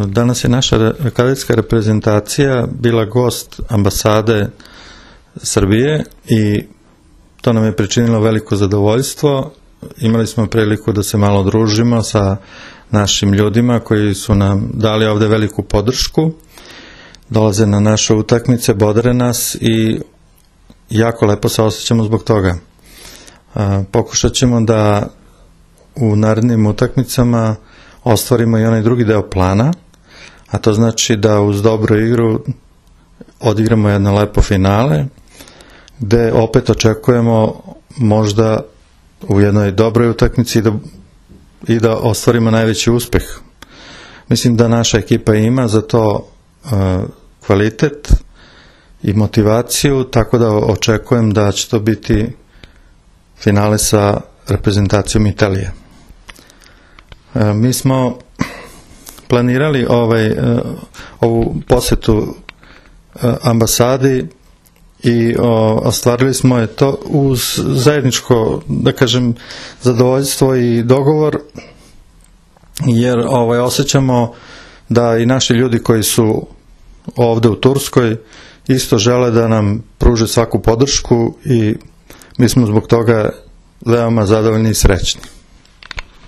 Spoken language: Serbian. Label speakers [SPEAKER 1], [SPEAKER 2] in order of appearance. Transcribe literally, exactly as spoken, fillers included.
[SPEAKER 1] Danas je naša kadetska reprezentacija bila gost ambasade Srbije i to nam je pričinilo veliko zadovoljstvo. Imali smo priliku da se malo družimo sa našim ljudima koji su nam dali ovde veliku podršku. Dolaze na naše utakmice, bodre nas i jako lepo se osjećamo zbog toga. Pokušat ćemo da u narednim utakmicama ostvarimo i onaj drugi deo plana, a to znači da uz dobru igru odigramo jedno lepo finale, gde opet očekujemo možda u jednoj dobroj utakmici da, i da ostvarimo najveći uspeh. Mislim da naša ekipa ima za to uh, kvalitet i motivaciju, tako da očekujem da će to biti finale sa reprezentacijom Italije. Uh, mi smo planirali ovaj, uh, ovu posetu uh, ambasadi i o, ostvarili smo je to uz zajedničko, da kažem, zadovoljstvo i dogovor, jer ovaj, osjećamo da i naši ljudi koji su ovde u Turskoj isto žele da nam pruže svaku podršku i mi smo zbog toga veoma zadovoljni i srećni.